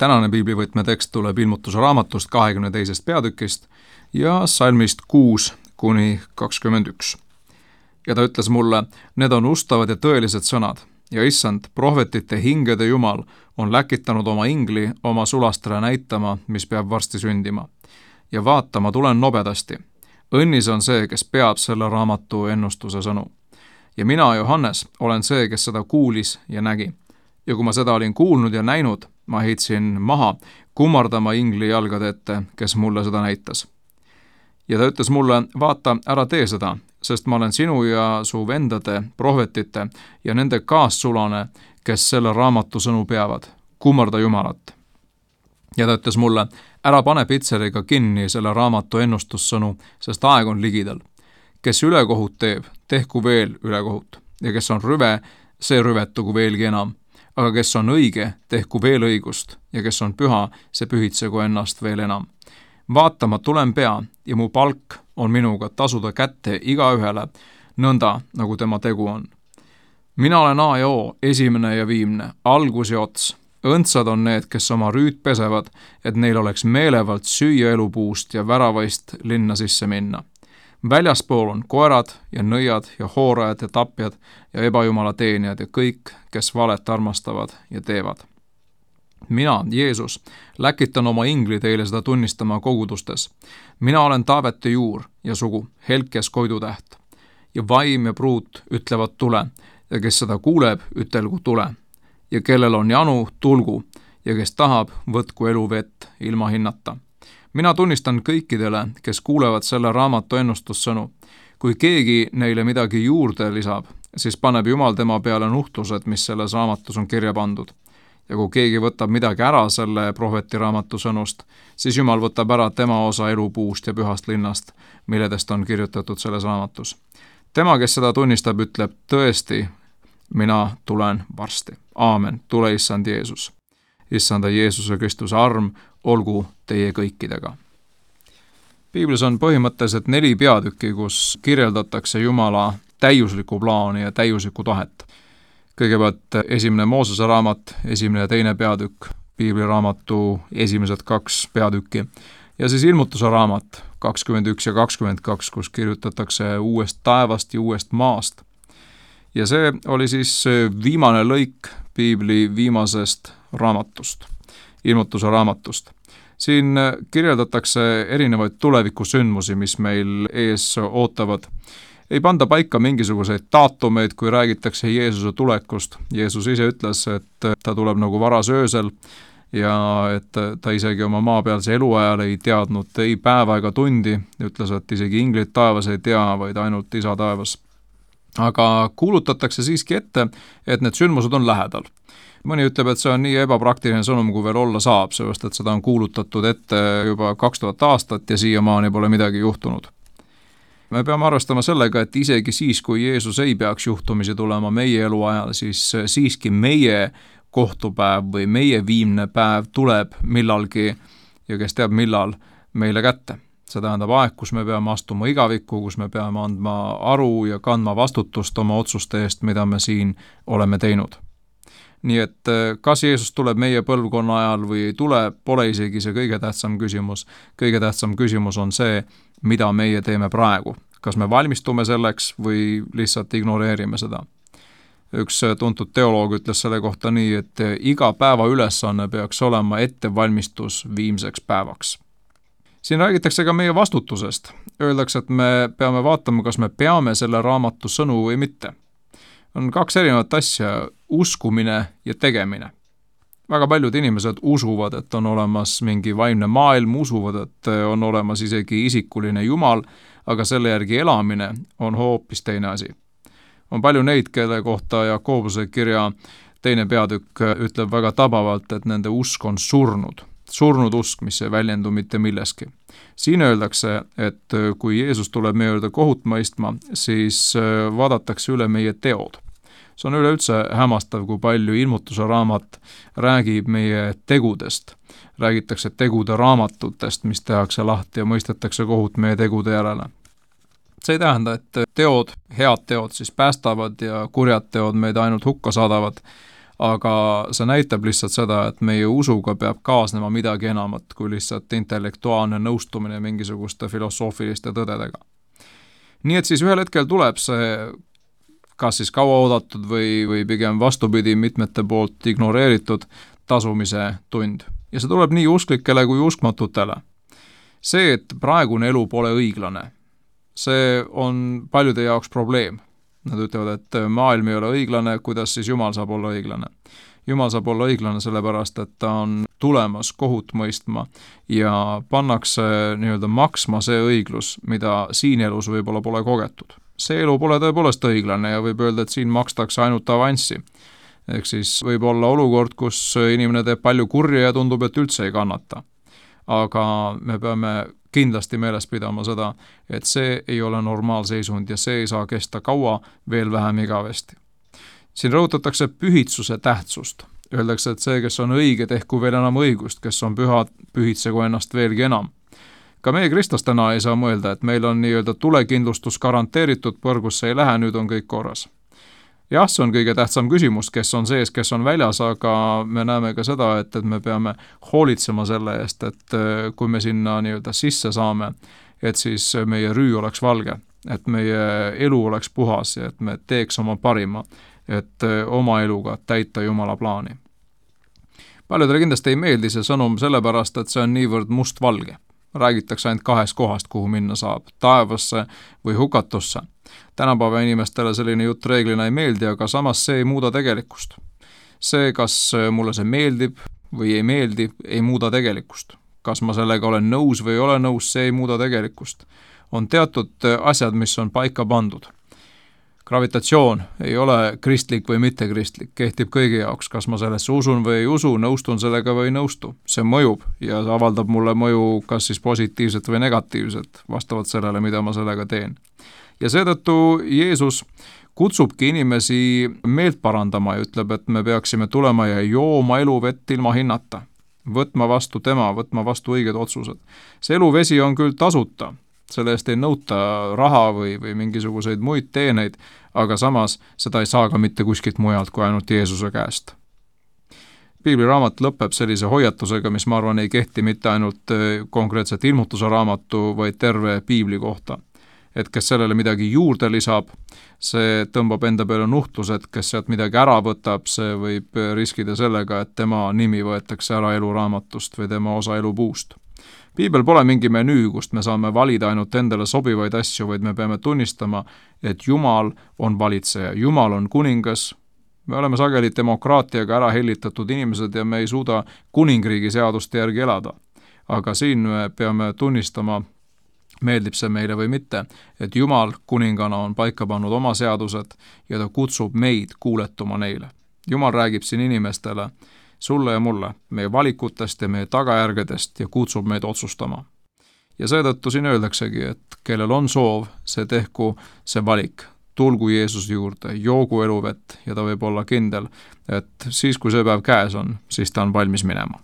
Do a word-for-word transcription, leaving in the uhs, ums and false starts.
tänane piiblivõtme tekst tuleb Ilmutuse raamatust kahekümne teisest peatükist ja salmist kuus kuni kakskümmend üks. Ja ta ütles mulle, need on ustavad ja tõelised sõnad ja issand, prohvetite hingede Jumal on läkitanud oma ingli oma sulastele näitama, mis peab varsti sündima. Ja vaata, ma tulen nobedasti. Õnnis on see, kes peab selle raamatu ennustuse sõnu. Ja mina, Johannes, olen see, kes seda kuulis ja nägi. Ja kui ma seda olin kuulnud ja näinud, ma heitsin maha kummardama ingli jalgade ette, kes mulle seda näitas. Ja ta ütles mulle, vaata, ära tee seda, sest ma olen sinu ja su vendade, prohvetite ja nende kaassulane, kes selle raamatu sõnu peavad. Kummarda Jumalat. Ja ta ütles mulle, ära pane pitseriga kinni selle raamatu ennustussõnu, sest aeg on ligidal. Kes ülekohut teeb, tehku veel ülekohut. Ja kes on rüve, see rüvetugu veelgi enam. Aga kes on õige, tehku veel õigust. Ja kes on püha, see pühitsegu ennast veel enam. Vaata, ma tulen pea ja mu palk on minuga tasuda kätte igaühele, nõnda nagu tema tegu on. Mina olen A ja O, esimene ja viimne, algus ja ots. Õndsad on need, kes oma rüüd pesevad, et neil oleks meelevalt süüa elupuust ja väravaist linna sisse minna. Väljaspool on koerad ja nõiad ja hoorajad ja tapjad ja ebajumala teenijad ja kõik, kes valet armastavad ja teevad. Mina, Jeesus, läkitan oma ingli teile seda tunnistama kogudustes. Mina olen Taavete juur ja sugu, helkes koidutäht. Ja vaim ja pruut ütlevad tule ja kes seda kuuleb, ütelgu tule. Ja kellel on janu, tulgu ja kes tahab, võtku eluvett ilma hinnata. Mina tunnistan kõikidele, kes kuulevad selle raamatu ennustussõnu. Kui keegi neile midagi juurde lisab, siis paneb Jumal tema peale nuhtlused, mis selles raamatus on kirja pandud. Ja kui keegi võtab midagi ära selle prohveti raamatu sõnust, siis Jumal võtab ära tema osa elupuust ja pühast linnast, milledest on kirjutatud selles raamatus. Tema, kes seda tunnistab, ütleb tõesti, mina tulen varsti. Aamen, tule issand Jeesus. Issanda Jeesuse Kristuse arm olgu teie kõikidega. Piiblis on põhimõtteliselt neli peatükki, kus kirjeldatakse Jumala täiuslikku plaani ja täiuslikku tahet. Kõigepealt esimene Moosese raamat, esimene ja teine peatükk, piibliraamatu esimesed kaks peatükki ja siis Ilmutuse raamat kakskümmend üks ja kakskümmend kaks, kus kirjutatakse uuest taevast ja uuest maast. Ja see oli siis viimane lõik piibli viimasest raamatust, Ilmutuse raamatust. Siin kirjeldatakse erinevaid tulevikusündmusi, mis meil ees ootavad. Ei panda paika mingisuguseid daatumeid, kui räägitakse Jeesuse tulekust. Jeesus ise ütles, et ta tuleb nagu varas öösel ja et ta isegi oma maapealse eluajal ei teadnud ei päeva ega tundi. Ütles, et isegi inglid taevas ei tea, vaid ainult isa taevas. Aga kuulutatakse siiski ette, et need sündmused on lähedal. Mõni ütleb, et see on nii ebapraktiline sõnum, kui veel olla saab, sellepärast et seda on kuulutatud ette juba kaks tuhat aastat ja siiamaani pole midagi juhtunud. Me peame arvestama sellega, et isegi siis, kui Jeesus ei peaks juhtumisi tulema meie eluajal, siis siiski meie kohtupäev või meie viimne päev tuleb millalgi ja kes teab millal meile kätte. See tähendab aeg, kus me peame astuma igavikku, kus me peame andma aru ja kandma vastutust oma otsuste eest, mida me siin oleme teinud. Nii et kas Jeesus tuleb meie põlvkonna ajal või ei tule, pole isegi see kõige tähtsam küsimus. Kõige tähtsam küsimus on see, mida meie teeme praegu. Kas me valmistume selleks või lihtsalt ignoreerime seda? Üks tuntud teoloog ütles selle kohta nii, et iga päeva ülesanne peaks olema ettevalmistus viimseks päevaks. Siin räägitakse ka meie vastutusest. Öeldakse, et me peame vaatama, kas me peame selle raamatu sõnu või mitte. On kaks erinevat asja, uskumine ja tegemine. Väga paljud inimesed usuvad, et on olemas mingi vaimne maailm, usuvad, et on olemas isegi isikuline Jumal, aga selle järgi elamine on hoopis teine asi. On palju neid, kelle kohta Jakobuse kirja teine peatükk ütleb väga tabavalt, et nende usk on surnud. Surnud usk, mis ei väljendu mitte milleski. Siin öeldakse, et kui Jeesus tuleb meie juurde kohut mõistma, siis vaadatakse üle meie teod. See on üleüldse hämmastav, kui palju Ilmutuse raamat räägib meie tegudest. Räägitakse tegude raamatutest, mis tehakse lahti ja mõistetakse kohut meie tegude järele. See ei tähenda, et teod, head teod siis päästavad ja kurjad teod meid ainult hukka saadavad, aga see näitab lihtsalt seda, et meie usuga peab kaasnema midagi enamat kui lihtsalt intellektuaalne nõustumine mingisuguste filosoofiliste tõdedega. Nii et siis ühel hetkel tuleb see kas siis kauaoodatud või, või pigem vastupidi mitmete poolt ignoreeritud tasumise tund. Ja see tuleb nii usklikele kui uskmatutele. See, et praegune elu pole õiglane, see on paljude jaoks probleem. Nad ütlevad, et maailm ei ole õiglane, kuidas siis Jumal saab olla õiglane. Jumal saab olla õiglane sellepärast, et ta on tulemas kohut mõistma ja pannakse nii-öelda maksma see õiglus, mida siin elus võib-olla pole kogetud. See elu pole tõepoolest õiglane ja võib öelda, et siin makstakse ainult avanssi. Ehk siis võib olla olukord, kus inimene teeb palju kurja ja tundub, et üldse ei kannata. Aga me peame kindlasti meeles pidama seda, et see ei ole normaalseisund ja see ei saa kesta kaua, veel vähem igavesti. Siin rõhutatakse pühitsuse tähtsust. Öeldakse, et see, kes on õige, tehku veel enam õigust, kes on püha, pühitsegu ennast veelgi enam. Ka meie kristlastena ei saa mõelda, et meil on nii-öelda tulekindlustus garanteeritud, põrgusse ei lähe, nüüd on kõik korras. Jah, see on kõige tähtsam küsimus, kes on sees, kes on väljas, aga me näeme ka seda, et, et me peame hoolitsema selle eest, et kui me sinna nii-öelda sisse saame, et siis meie rüü oleks valge, et meie elu oleks puhas ja et me teeks oma parima, et oma eluga täita Jumala plaani. Paljudele kindlasti ei meeldi see sõnum sellepärast, et see on niivõrd mustvalge. Räägitakse ainult kahest kohast, kuhu minna saab, taevasse või hukatusse. Tänapäeva inimestele selline jutt reeglina ei meeldi, aga samas see ei muuda tegelikkust. See, kas mulle see meeldib või ei meeldi, ei muuda tegelikkust. Kas ma sellega olen nõus või ei ole nõus, see ei muuda tegelikkust. On teatud asjad, mis on paika pandud. Gravitatsioon ei ole kristlik või mittekristlik, kehtib kõigi jaoks, kas ma sellesse usun või ei usu, nõustun sellega või ei nõustu. See mõjub ja see avaldab mulle mõju kas siis positiivset või negatiivset, vastavalt sellele, mida ma sellega teen. Ja seetõttu Jeesus kutsubki inimesi meelt parandama ja ütleb, et me peaksime tulema ja jooma eluvett ilma hinnata, võtma vastu tema, võtma vastu õiged otsused. See eluvesi on küll tasuta, selle eest ei nõuta raha või, või mingisuguseid muid teeneid, aga samas seda ei saa ka mitte kuskilt mujalt kui ainult Jeesuse käest. Piibliraamat lõpeb sellise hoiatusega, mis ma arvan ei kehti mitte ainult konkreetselt ilmutuse raamatu, vaid terve piibli kohta. Et kes sellele midagi juurde lisab, see tõmbab enda peale nuhtlused, kes sealt midagi ära võtab, see võib riskida sellega, et tema nimi võetakse ära eluraamatust või tema osa elupuust. Piibel pole mingi menüü, kust me saame valida ainult endale sobivaid asju, vaid me peame tunnistama, et Jumal on valitseja, Jumal on kuningas. Me oleme sageli demokraatiaga ära hellitatud inimesed ja me ei suuda kuningriigi seaduste järgi elada. Aga siin me peame tunnistama, meeldib see meile või mitte, et Jumal kuningana on paika pannud oma seadused ja ta kutsub meid kuuletuma neile. Jumal räägib siin inimestele, sulle ja mulle, meie valikutest ja meie tagajärgedest ja kutsub meid otsustama. Ja seetõttu siin öeldaksegi, et kellel on soov, see tehku see valik. Tulgu Jeesuse juurde, joogu eluvett ja ta võib olla kindel, et siis kui see päev käes on, siis ta on valmis minema.